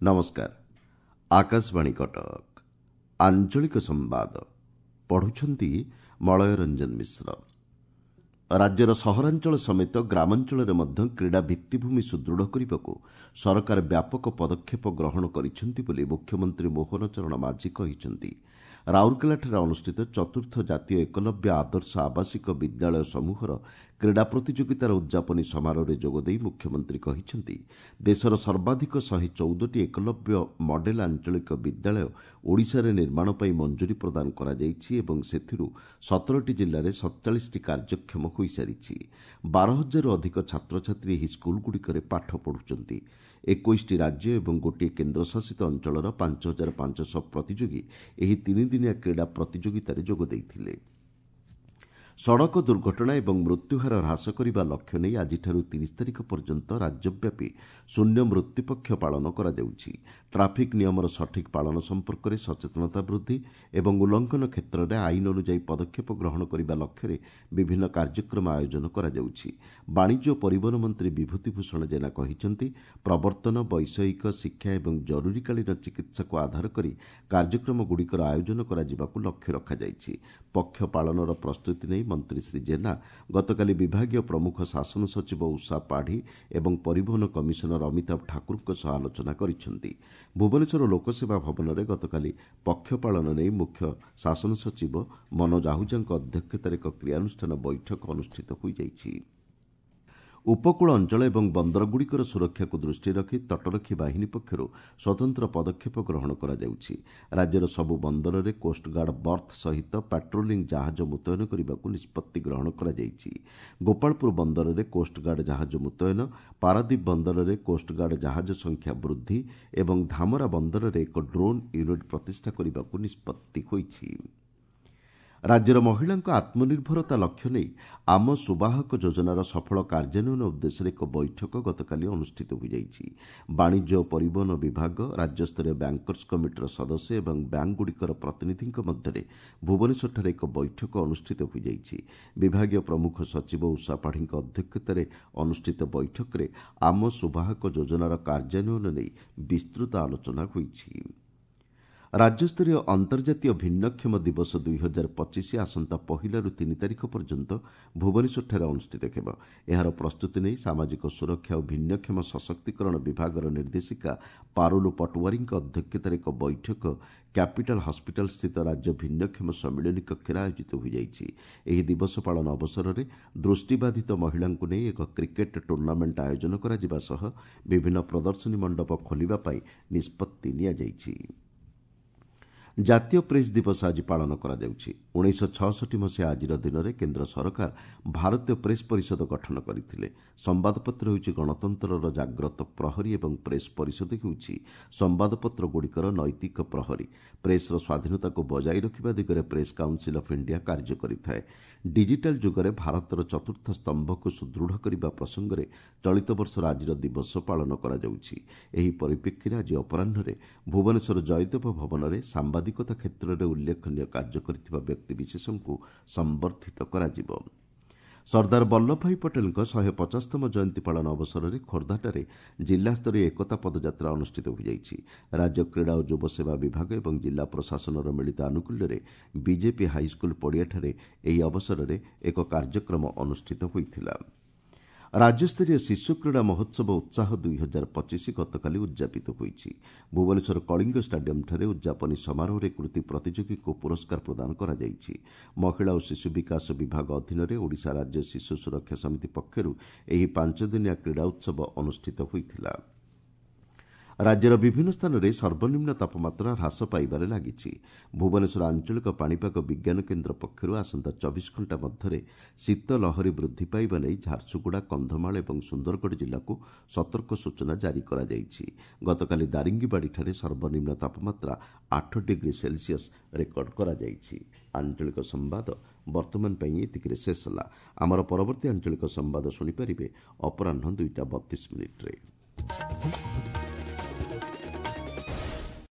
ନମସ୍କାର, ଆକାଶବାଣୀ କଟକ। ଆଞ୍ଚଳିକ ସମ୍ବାଦ ପଢ଼ୁଛନ୍ତି ମଳୟ ରଞ୍ଜନ ମିଶ୍ର। ରାଜ୍ୟର ସହରାଞ୍ଚଳ ସମେତ ଗ୍ରାମାଞ୍ଚଳରେ ମଧ୍ୟ କ୍ରୀଡ଼ା ଭିତ୍ତିଭୂମି ସୁଦୃଢ଼ କରିବାକୁ ସରକାର ବ୍ୟାପକ ପଦକ୍ଷେପ ଗ୍ରହଣ କରିଛନ୍ତି ବୋଲି ମୁଖ୍ୟମନ୍ତ୍ରୀ ମୋହନ ଚରଣ ମାଝୀ କହିଛନ୍ତି। ରାଉରକେଲାଠାରେ ଅନୁଷ୍ଠିତ ଚତୁର୍ଥ ଜାତୀୟ ଏକଲବ୍ୟ ଆଦର୍ଶ ଆବାସିକ ବିଦ୍ୟାଳୟ ସମୂହର କ୍ରୀଡ଼ା ପ୍ରତିଯୋଗିତାର ଉଦ୍ଯାପନୀ ସମାରୋହରେ ଯୋଗଦେଇ ମୁଖ୍ୟମନ୍ତ୍ରୀ କହିଛନ୍ତି, ଦେଶର ସର୍ବାଧିକ 114ଟି ଏକଲବ୍ୟ ମଡେଲ ଆଞ୍ଚଳିକ ବିଦ୍ୟାଳୟ ଓଡ଼ିଶାରେ ନିର୍ମାଣ ପାଇଁ ମଞ୍ଜୁରୀ ପ୍ରଦାନ କରାଯାଇଛି ଏବଂ ସେଥିରୁ 17ଟି ଜିଲ୍ଲାରେ 47ଟି କାର୍ଯ୍ୟକ୍ଷମ ହୋଇସାରିଛି। 12,000ରୁ ଅଧିକ ଛାତ୍ରଛାତ୍ରୀ ଏହି ସ୍କୁଲଗୁଡ଼ିକରେ ପାଠ ପଢ଼ୁଛନ୍ତି। 21ଟି ରାଜ୍ୟ ଏବଂ ଗୋଟିଏ କେନ୍ଦ୍ରଶାସିତ ଅଞ୍ଚଳର 5500 ପ୍ରତିଯୋଗୀ ଏହି ତିନିଦିନିଆ କ୍ରୀଡ଼ା ପ୍ରତିଯୋଗିତାରେ ଯୋଗ ଦେଇଥିଲେ। ସଡ଼କ ଦୁର୍ଘଟଣା ଏବଂ ମୃତ୍ୟୁହାର ହ୍ରାସ କରିବା ଲକ୍ଷ୍ୟ ନେଇ ଆଜିଠାରୁ 30 ତାରିଖ ପର୍ଯ୍ୟନ୍ତ ରାଜ୍ୟବ୍ୟାପୀ ଶୂନ୍ୟ ମୃତ୍ୟୁପକ୍ଷ ପାଳନ କରାଯାଉଛି। ଟ୍ରାଫିକ୍ ନିୟମର ସଠିକ୍ ପାଳନ ସମ୍ପର୍କରେ ସଚେତନତା ବୃଦ୍ଧି ଏବଂ ଉଲ୍ଲଂଘନ କ୍ଷେତ୍ରରେ ଆଇନ ଅନୁଯାୟୀ ପଦକ୍ଷେପ ଗ୍ରହଣ କରିବା ଲକ୍ଷ୍ୟରେ ବିଭିନ୍ନ କାର୍ଯ୍ୟକ୍ରମ ଆୟୋଜନ କରାଯାଉଛି। ବାଣିଜ୍ୟ ଓ ପରିବହନ ମନ୍ତ୍ରୀ ବିଭୂତି ଭୂଷଣ ଜେନା କହିଛନ୍ତି, ପ୍ରବର୍ତ୍ତନ, ବୈଷୟିକ ଶିକ୍ଷା ଏବଂ ଜରୁରୀକାଳୀନ ଚିକିତ୍ସାକୁ ଆଧାର କରି କାର୍ଯ୍ୟକ୍ରମଗୁଡ଼ିକର ଆୟୋଜନ କରାଯିବାକୁ ଲକ୍ଷ୍ୟ ରଖାଯାଇଛି। ପକ୍ଷ ପାଳନର ପ୍ରସ୍ତୁତି ନେଇ ମନ୍ତ୍ରୀ ଶ୍ରୀ ଜେନା ଗତକାଲି ବିଭାଗୀୟ ପ୍ରମୁଖ ଶାସନ ସଚିବ ଉଷା ପାଢ଼ୀ ଏବଂ ପରିବହନ କମିଶନର ଅମିତାଭ ଠାକୁରଙ୍କ ସହ ଆଲୋଚନା କରିଛନ୍ତି। ଭୁବନେଶ୍ୱର ଲୋକସେବା ଭବନରେ ଗତକାଲି ପକ୍ଷ ପାଳନ ନେଇ ମୁଖ୍ୟ ଶାସନ ସଚିବ ମନୋଜ ଆହୁଜାଙ୍କ ଅଧ୍ୟକ୍ଷତାରେ ଏକ କ୍ରିୟାନୁଷ୍ଠାନ ବୈଠକ ଅନୁଷ୍ଠିତ ହୋଇଯାଇଛି। ଉପକୂଳ ଅଞ୍ଚଳ ଏବଂ ବନ୍ଦରଗୁଡ଼ିକର ସୁରକ୍ଷାକୁ ଦୃଷ୍ଟିରେ ରଖି ତଟରକ୍ଷୀ ବାହିନୀ ପକ୍ଷରୁ ସ୍ୱତନ୍ତ୍ର ପଦକ୍ଷେପ ଗ୍ରହଣ କରାଯାଉଛି। ରାଜ୍ୟର ସବୁ ବନ୍ଦରରେ କୋଷ୍ଟଗାର୍ଡ ବର୍ଥ ସହିତ ପାଟ୍ରୋଲିଂ ଜାହାଜ ମୁତୟନ କରିବାକୁ ନିଷ୍ପତ୍ତି ଗ୍ରହଣ କରାଯାଇଛି। ଗୋପାଳପୁର ବନ୍ଦରରେ କୋଷ୍ଟଗାର୍ଡ ଜାହାଜ ମୁତୟନ, ପାରାଦୀପ ବନ୍ଦରରେ କୋଷ୍ଟଗାର୍ଡ ଜାହାଜ ସଂଖ୍ୟା ବୃଦ୍ଧି ଏବଂ ଧାମରା ବନ୍ଦରରେ ଏକ ଡ୍ରୋନ୍ ୟୁନିଟ୍ ପ୍ରତିଷ୍ଠା କରିବାକୁ ନିଷ୍ପତ୍ତି ହୋଇଛି। ରାଜ୍ୟର ମହିଳାଙ୍କ ଆତ୍ମନିର୍ଭରତା ଲକ୍ଷ୍ୟ ନେଇ ଆମ ସୁବାହକ ଯୋଜନାର ସଫଳ କାର୍ଯ୍ୟାନ୍ୱୟନ ଉଦ୍ଦେଶ୍ୟରେ ଏକ ବୈଠକ ଗତକାଲି ଅନୁଷ୍ଠିତ ହୋଇଯାଇଛି। ବାଣିଜ୍ୟ ଓ ପରିବହନ ବିଭାଗ, ରାଜ୍ୟସ୍ତରୀୟ ବ୍ୟାଙ୍କର୍ସ କମିଟିର ସଦସ୍ୟ ଏବଂ ବ୍ୟାଙ୍କଗୁଡ଼ିକର ପ୍ରତିନିଧିଙ୍କ ମଧ୍ୟରେ ଭୁବନେଶ୍ୱରଠାରେ ଏକ ବୈଠକ ଅନୁଷ୍ଠିତ ହୋଇଯାଇଛି। ବିଭାଗୀୟ ପ୍ରମୁଖ ସଚିବ ଉଷା ପାଢ଼ୀଙ୍କ ଅଧ୍ୟକ୍ଷତାରେ ଅନୁଷ୍ଠିତ ବୈଠକରେ ଆମ ସୁବାହକ ଯୋଜନାର କାର୍ଯ୍ୟାନ୍ୱୟନ ନେଇ ବିସ୍ତୃତ ଆଲୋଚନା ହୋଇଛି। ରାଜ୍ୟସ୍ତରୀୟ ଅନ୍ତର୍ଜାତୀୟ ଭିନ୍ନକ୍ଷମ ଦିବସ 2025 ଆସନ୍ତା 1ରୁ 3 ତାରିଖ ପର୍ଯ୍ୟନ୍ତ ଭୁବନେଶ୍ୱରଠାରେ ଅନୁଷ୍ଠିତ ହେବ। ଏହାର ପ୍ରସ୍ତୁତି ନେଇ ସାମାଜିକ ସୁରକ୍ଷା ଓ ଭିନ୍ନକ୍ଷମ ସଶକ୍ତିକରଣ ବିଭାଗର ନିର୍ଦ୍ଦେଶିକା ପାରୁଲୁ ପଟୱାରୀଙ୍କ ଅଧ୍ୟକ୍ଷତାରେ ଏକ ବୈଠକ କ୍ୟାପିଟାଲ ହସ୍ପିଟାଲ ସ୍ଥିତ ରାଜ୍ୟ ଭିନ୍ନକ୍ଷମ ସମ୍ମିଳନୀ କକ୍ଷରେ ଆୟୋଜିତ ହୋଇଯାଇଛି। ଏହି ଦିବସ ପାଳନ ଅବସରରେ ଦୃଷ୍ଟିବାଧିତ ମହିଳାଙ୍କୁ ନେଇ ଏକ କ୍ରିକେଟ ଟୁର୍ଣ୍ଣାମେଣ୍ଟ ଆୟୋଜନ କରାଯିବା ସହ ବିଭିନ୍ନ ପ୍ରଦର୍ଶନୀ ମଣ୍ଡପ ଖୋଲିବା ପାଇଁ ନିଷ୍ପତ୍ତି ନିଆଯାଇଛି। ଜାତୀୟ ପ୍ରେସ୍ ଦିବସ ଆଜି ପାଳନ କରାଯାଉଛି। 1966 ମସିହା ଆଜିର ଦିନରେ କେନ୍ଦ୍ର ସରକାର ଭାରତୀୟ ପ୍ରେସ୍ ପରିଷଦ ଗଠନ କରିଥିଲେ। ସମ୍ବାଦପତ୍ର ହେଉଛି ଗଣତନ୍ତ୍ରର ଜାଗ୍ରତ ପ୍ରହରୀ ଏବଂ ପ୍ରେସ୍ ପରିଷଦ ହେଉଛି ସମ୍ବାଦପତ୍ରଗୁଡ଼ିକର ନୈତିକ ପ୍ରହରୀ। ପ୍ରେସ୍ର ସ୍ୱାଧୀନତାକୁ ବଜାୟ ରଖିବା ଦିଗରେ ପ୍ରେସ୍ କାଉନସିଲ୍ ଅଫ୍ ଇଣ୍ଡିଆ କାର୍ଯ୍ୟ କରିଥାଏ। ଡିଜିଟାଲ ଯୁଗରେ ଭାରତର ଚତୁର୍ଥ ସ୍ତମ୍ଭକୁ ସୁଦୃଢ଼ କରିବା ପ୍ରସଙ୍ଗରେ ଚଳିତ ବର୍ଷର ଆଜିର ଦିବସ ପାଳନ କରାଯାଉଛି। ଏହି ପରିପ୍ରେକ୍ଷୀରେ ଆଜି ଅପରାହ୍ନରେ ଭୁବନେଶ୍ୱର ଜୟଦେବ ଭବନରେ ସାମ୍ବାଦିକତା କ୍ଷେତ୍ରରେ ଉଲ୍ଲେଖନୀୟ କାର୍ଯ୍ୟ କରିଥିବା ବ୍ୟକ୍ତିବିଶେଷଙ୍କୁ ସମ୍ବର୍ଦ୍ଧିତ କରାଯିବ। ସର୍ଦ୍ଦାର ବଲ୍ଲଭଭାଇ ପଟେଲଙ୍କ 150ତମ ଜୟନ୍ତୀ ପାଳନ ଅବସରରେ ଖୋର୍ଦ୍ଧାଠାରେ ଜିଲ୍ଲାସ୍ତରୀୟ ଏକତା ପଦଯାତ୍ରା ଅନୁଷ୍ଠିତ ହୋଇଯାଇଛି। ରାଜ୍ୟ କ୍ରୀଡ଼ା ଓ ଯୁବସେବା ବିଭାଗ ଏବଂ ଜିଲ୍ଲା ପ୍ରଶାସନର ମିଳିତ ଆନୁକୂଲ୍ୟରେ ବିଜେପି ହାଇସ୍କୁଲ ପଡ଼ିଆଠାରେ ଏହି ଅବସରରେ ଏକ କାର୍ଯ୍ୟକ୍ରମ ଅନୁଷ୍ଠିତ ହୋଇଥିଲା। ରାଜ୍ୟସ୍ତରୀୟ ଶିଶୁ କ୍ରୀଡ଼ା ମହୋତ୍ସବ ଉତ୍ସାହ 2025 ଗତକାଲି ଉଦ୍ଯାପିତ ହୋଇଛି। ଭୁବନେଶ୍ୱର କଳିଙ୍ଗ ଷ୍ଟାଡିୟମ୍ଠାରେ ଉଦ୍ଯାପନୀ ସମାରୋହରେ କୃତି ପ୍ରତିଯୋଗୀଙ୍କୁ ପୁରସ୍କାର ପ୍ରଦାନ କରାଯାଇଛି। ମହିଳା ଓ ଶିଶୁ ବିକାଶ ବିଭାଗ ଅଧୀନରେ ଓଡ଼ିଶା ରାଜ୍ୟ ଶିଶୁ ସୁରକ୍ଷା ସମିତି ପକ୍ଷରୁ ଏହି 5 ଦିନିଆ କ୍ରୀଡ଼ା ଉତ୍ସବ ଅନୁଷ୍ଠିତ ହୋଇଥିଲା। ରାଜ୍ୟର ବିଭିନ୍ନ ସ୍ଥାନରେ ସର୍ବନିମ୍ନ ତାପମାତ୍ରା ହ୍ରାସ ପାଇବାରେ ଲାଗିଛି। ଭୁବନେଶ୍ୱର ଆଞ୍ଚଳିକ ପାଣିପାଗ ବିଜ୍ଞାନ କେନ୍ଦ୍ର ପକ୍ଷରୁ ଆସନ୍ତା 24 ଘଣ୍ଟା ମଧ୍ୟରେ ଶୀତ ଲହରୀ ବୃଦ୍ଧି ପାଇବା ନେଇ ଝାରସୁଗୁଡ଼ା, କନ୍ଧମାଳ ଏବଂ ସୁନ୍ଦରଗଡ଼ ଜିଲ୍ଲାକୁ ସତର୍କ ସୂଚନା ଜାରି କରାଯାଇଛି। ଗତକାଲି ଦାରିଙ୍ଗିବାଡ଼ିଠାରେ ସର୍ବନିମ୍ନ ତାପମାତ୍ରା 8 ଡିଗ୍ରୀ ସେଲସିୟସ୍ ରେକର୍ଡ କରାଯାଇଛି। ଆଞ୍ଚଳିକ ସମ୍ବାଦ ବର୍ତ୍ତମାନ ପାଇଁ ଏତିକିରେ ଶେଷ ହେଲା। ଆମର ପରବର୍ତ୍ତୀ ଆଞ୍ଚଳିକ ସମ୍ବାଦ ଶୁଣିପାରିବେ ଅପରାହ୍ନ 2ଟା 32 ମିନିଟ୍ରେ।